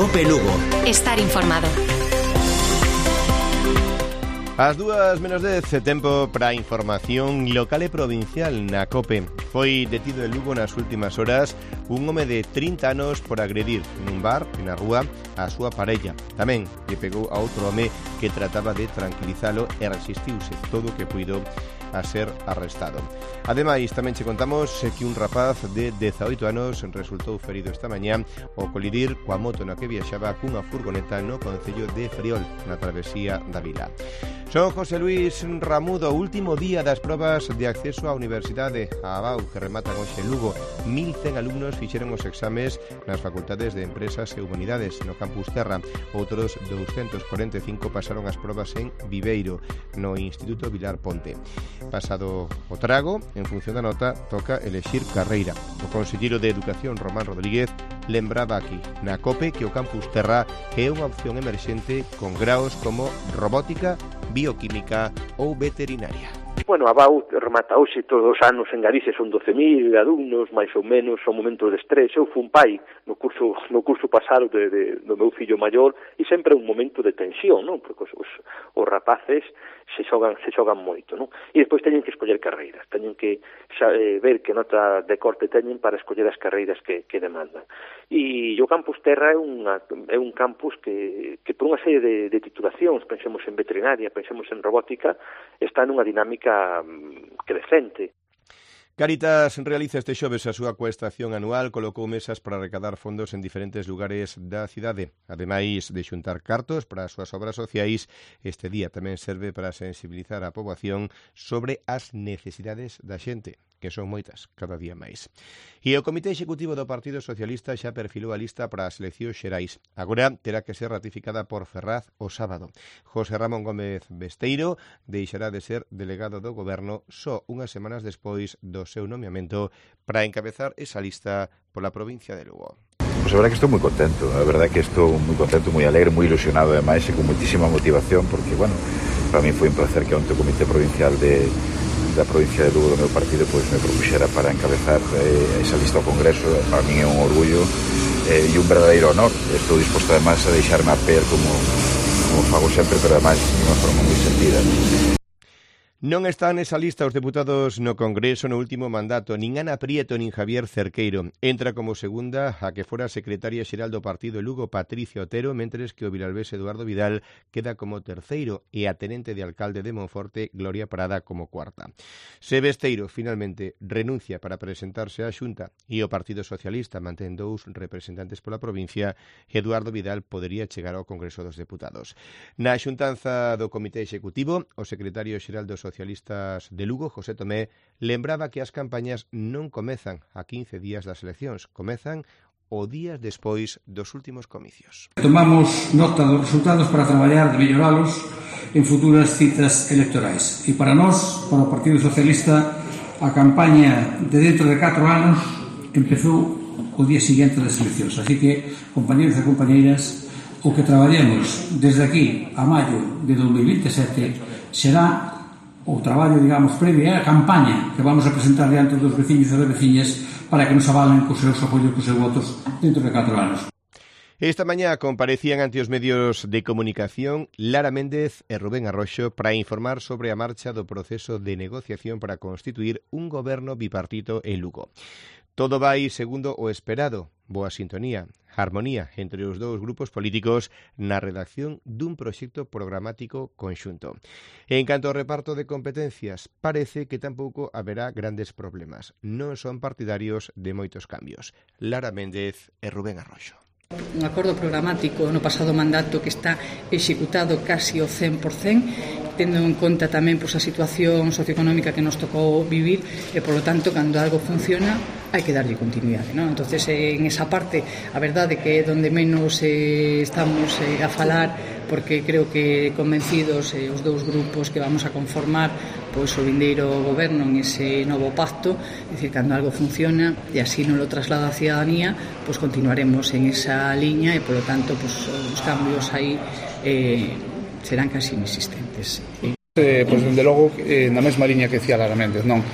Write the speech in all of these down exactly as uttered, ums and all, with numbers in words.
COPE Lugo. Estar informado. As dúas menos dez, tempo para a información local e provincial na COPE. Foi detido en Lugo nas últimas horas un home de trinta anos por agredir nun bar e na rúa a súa parella. Tamén lle pegou a outro home que trataba de tranquilizalo e resistiuse todo o que puido a ser arrestado. Ademais, tamén che contamos que un rapaz de dezaoito anos resultou ferido esta mañá ao colidir coa moto na que viaxaba cunha furgoneta no concello de Friol, na travesía da vila. Son José Luis Ramudo, último día das probas de acceso á Universidade a Abau, que rematan hoxe en Lugo. mil cen alumnos fixeron os exames nas facultades de Empresas e Humanidades no Campus Terra. Outros doscientos cuarenta e cinco pasaron as probas en Viveiro, no Instituto Vilar Ponte. Pasado o trago, en función da nota, toca elexir carreira. O conselleiro de Educación, Román Rodríguez, lembraba aquí na COPE que o Campus Terra é unha opción emerxente con graos como robótica, bioquímica ou veterinaria. Bueno, a Abau remata hoxe todos os anos en Galicia, son doce mil alumnos, máis ou menos, son momentos de estrés. Eu fui un pai no curso no curso pasado de, de, do meu fillo maior e sempre é un momento de tensión, non? Porque os, os, os rapaces se xogan, se xogan moito, non? E despois teñen que escoller carreiras, teñen que xa, eh, ver que nota de corte teñen para escoller as carreiras que, que demandan. E o Campus Terra é, unha, é un campus que, que por unha serie de, de titulacións, pensemos en veterinaria, pensemos en robótica, está nunha dinámica crecente. Cáritas realiza este xoves a súa coestación anual, colocou mesas para recadar fondos en diferentes lugares da cidade. Ademais de xuntar cartos para as súas obras sociais, este día tamén serve para sensibilizar a poboación sobre as necesidades da xente, que son moitas, cada día máis. E o Comité Executivo do Partido Socialista xa perfilou a lista para as eleccións xerais. Agora terá que ser ratificada por Ferraz o sábado. José Ramón Gómez Besteiro deixará de ser delegado do Goberno só unhas semanas despois do seu nomeamento para encabezar esa lista pola provincia de Lugo. Pues a verdad que estou moi contento, a verdad que estou moi contento, moi alegre, moi ilusionado ademais e con muitísima motivación porque, bueno, para mí foi un placer que onte o Comité Provincial de da provincia de Lugo do meu partido pois me propuxera para encabezar eh, esa lista ao Congreso. Para mí é un orgullo eh, e un verdadeiro honor. Estou disposto además a deixarme a pé como, como fago sempre, pero además de unha forma moi sentida. Non están nesa lista os deputados no Congreso no último mandato, nin Ana Prieto nin Javier Cerqueiro. Entra como segunda a que fora secretaria xeral do partido Lugo, Patricia Otero, mentres que o vilalbés Eduardo Vidal queda como terceiro e a tenente de alcalde de Monforte, Gloria Parada, como cuarta. Se Besteiro finalmente renuncia para presentarse á Xunta e o Partido Socialista mantén dous representantes pola provincia, Eduardo Vidal podería chegar ao Congreso dos Deputados. Na xuntanza do Comité Executivo, o secretario xeral dos Socialistas de Lugo, José Tomé, lembraba que as campañas non comezan a quince días das eleccións, comezan o días despois dos últimos comicios. Tomamos nota dos resultados para traballar de melloralos en futuras citas electorais. E para nós, para o Partido Socialista, a campaña de dentro de catro anos empezou o día seguinte das eleccións. Así que, compañeros e compañeiras, o que traballemos desde aquí a maio de dos mil vinte e sete será o traballo, digamos, previo a campaña que vamos a presentar diante dos veciños e das veciñas para que nos avalen cos seus apoios, cos seus votos dentro de catro anos. Esta mañá comparecían ante os medios de comunicación Lara Méndez e Rubén Arroxo para informar sobre a marcha do proceso de negociación para constituir un goberno bipartito en Lugo. Todo vai segundo o esperado, boa sintonía, armonía entre os dous grupos políticos na redacción dun proxecto programático conxunto. En canto ao reparto de competencias, parece que tampouco haberá grandes problemas. Non son partidarios de moitos cambios. Lara Méndez e Rubén Arroxo. Un acordo programático no pasado mandato que está executado casi o cen por cen, tendo en conta tamén pois, a situación socioeconómica que nos tocou vivir e, polo tanto, cando algo funciona, hai que darlle continuidade, non? Entonces, en esa parte, a verdade que é donde menos eh, estamos eh, a falar, porque creo que convencidos eh, os dous grupos que vamos a conformar pois o vindeiro goberno en ese novo pacto, é dicir, cando algo funciona e así non lo traslada a ciudadanía, pois continuaremos en esa liña e, polo tanto, pois, os cambios aí eh, serán casi inexistentes. Eh, pois, dende logo, eh, na mesma liña que decía Lara Méndez, non?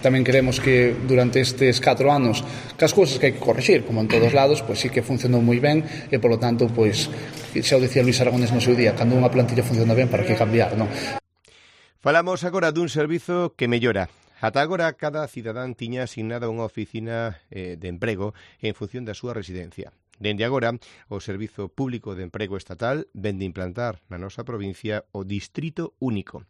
Tamén queremos que durante estes catro anos que as cousas que hai que corrixir, como en todos lados, pois sí que funcionou moi ben e, polo tanto, pois xa o dicía Luís Aragonés no seu día, cando unha plantilla funciona ben, para que cambiar, non? Falamos agora dun servizo que mellora. Ata agora, cada cidadán tiña asignada unha oficina eh, de emprego en función da súa residencia. Dende agora, o Servizo Público de Emprego Estatal vén de implantar na nosa provincia o Distrito Único.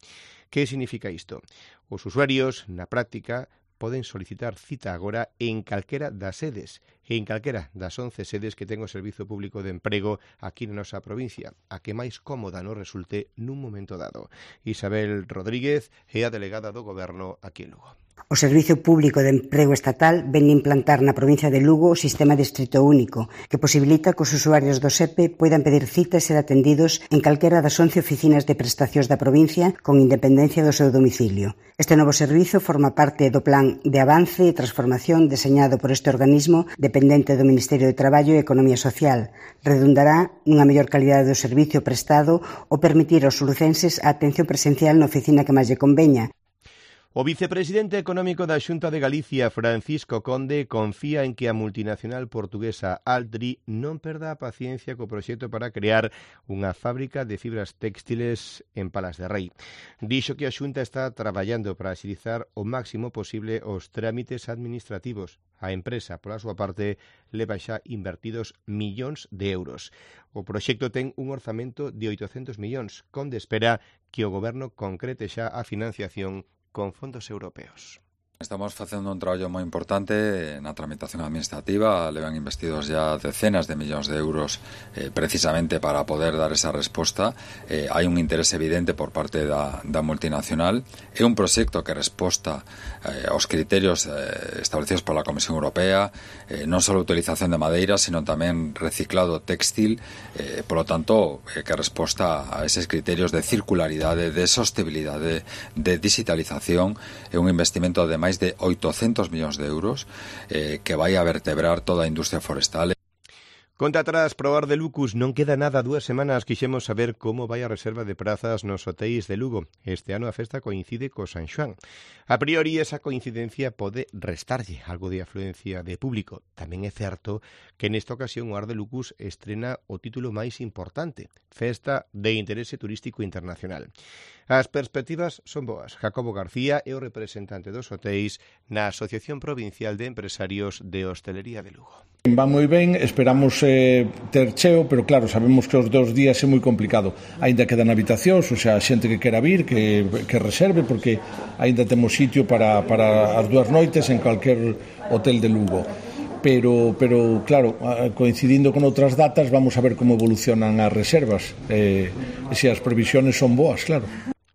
Que significa isto? Os usuarios, na práctica, poden solicitar cita agora en calquera das sedes, en calquera das once sedes que ten o Servizo Público de Emprego aquí na nosa provincia, a que máis cómoda nos resulte nun momento dado. Isabel Rodríguez é a delegada do Goberno aquí en Lugo. O Servizo Público de Emprego Estatal ven implantar na provincia de Lugo o sistema Distrito Único, que posibilita que os usuarios do S E P E poidan pedir cita e ser atendidos en calquera das once oficinas de prestacións da provincia con independencia do seu domicilio. Este novo servizo forma parte do Plan de Avance e Transformación deseñado por este organismo dependente do Ministerio de Traballo e Economía Social. Redundará nunha mellor calidade do servicio prestado ou permitir aos lucenses a atención presencial na oficina que máis lle conveña. O vicepresidente económico da Xunta de Galicia, Francisco Conde, confía en que a multinacional portuguesa Altri non perda a paciencia co proxecto para crear unha fábrica de fibras textiles en Palas de Rei. Dixo que a Xunta está traballando para axilizar o máximo posible os trámites administrativos. A empresa, pola súa parte, leva xa invertidos millóns de euros. O proxecto ten un orzamento de oitocentos millóns. Conde espera que o goberno concrete xa a financiación con fondos europeos. Estamos facendo un traballo moi importante na tramitación administrativa, levan investidos ya decenas de millóns de euros eh, precisamente para poder dar esa resposta. Eh, hai un interés evidente por parte da, da multinacional. É un proxecto que resposta eh, aos criterios eh, establecidos pola Comisión Europea, eh, non só a utilización de madeira, sino tamén reciclado textil, eh, polo tanto, eh, que resposta a eses criterios de circularidade, de sostenibilidade, de digitalización. É un investimento de máis de oitocentos millóns de euros eh, que vai a vertebrar toda a industria forestal. Conta atrás, probar de Lucus, non queda nada, dúas semanas quixemos saber como vai a reserva de prazas nos hotéis de Lugo. Este ano a festa coincide co San Xoán. A priori, esa coincidencia pode restarlle algo de afluencia de público. Tamén é certo que nesta ocasión o Ar de Lucus estrena o título máis importante, Festa de Interese Turístico Internacional. As perspectivas son boas. Jacobo García é o representante dos hotéis na Asociación Provincial de Empresarios de Hostelería de Lugo. Va moi ben, esperamos eh, ter cheo, pero claro, sabemos que os dos días é moi complicado. Aínda quedan habitacións, o sea, a xente que quera vir, que, que reserve, porque aínda temos sitio para, para as dúas noites en calquer hotel de Lugo. Pero, pero claro, coincidindo con outras datas, vamos a ver como evolucionan as reservas. Eh, e se as previsións son boas, claro.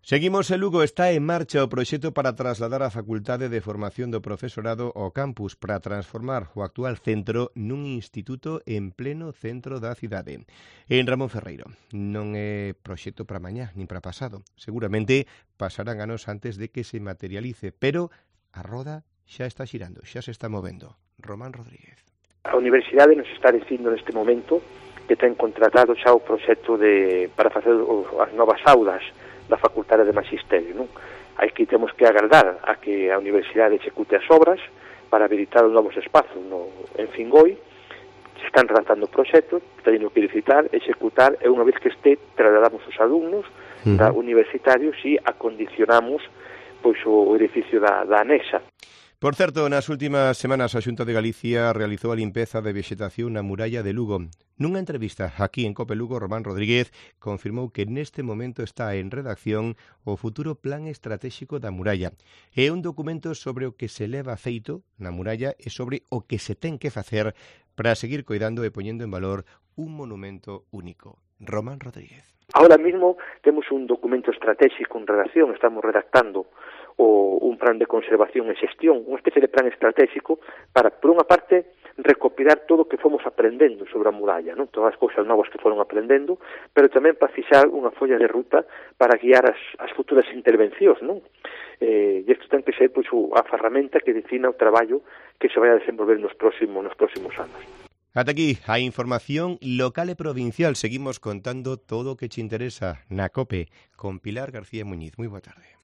Seguimos en Lugo, está en marcha o proxecto para trasladar a Facultade de Formación do Profesorado ao campus para transformar o actual centro nun instituto en pleno centro da cidade. En Ramón Ferreiro, non é proxecto para mañá, nin para pasado. Seguramente pasarán anos antes de que se materialice, pero a roda xa está xirando, xa se está movendo. Román Rodríguez. A Universidade nos está dicindo neste momento que ten contratado xa o proxecto de, para facer as novas aulas da Facultade de Magisterio, non? Aquí temos que agardar a que a Universidade execute as obras para habilitar os novos espazos no, en Fingoi. Se están redactando o proxecto, teñen que licitar, executar, e unha vez que este, trasladamos os alumnos uh-huh. da universitarios e acondicionamos pois o edificio da, da anexa. Por certo, nas últimas semanas a Xunta de Galicia realizou a limpeza de vexetación na muralla de Lugo. Nunha entrevista aquí en Cope Lugo, Román Rodríguez confirmou que neste momento está en redacción o futuro plan estratégico da muralla. É un documento sobre o que se leva feito na muralla e sobre o que se ten que facer para seguir coidando e poñendo en valor un monumento único. Román Rodríguez. Ahora mismo temos un documento estratégico en redacción, estamos redactando o un plan de conservación e xestión, unha especie de plan estratégico para, por unha parte, recopilar todo o que fomos aprendendo sobre a muralla, non? Todas as cousas novas que foron aprendendo, pero tamén para fixar unha folla de ruta para guiar as, as futuras intervencións, non? Eh, e isto ten que ser pois, a ferramenta que defina o traballo que se vai a desenvolver nos próximos, nos próximos anos. Ata aquí a información local e provincial. Seguimos contando todo o que te interesa na COPE con Pilar García Muñiz. Moi boa tarde.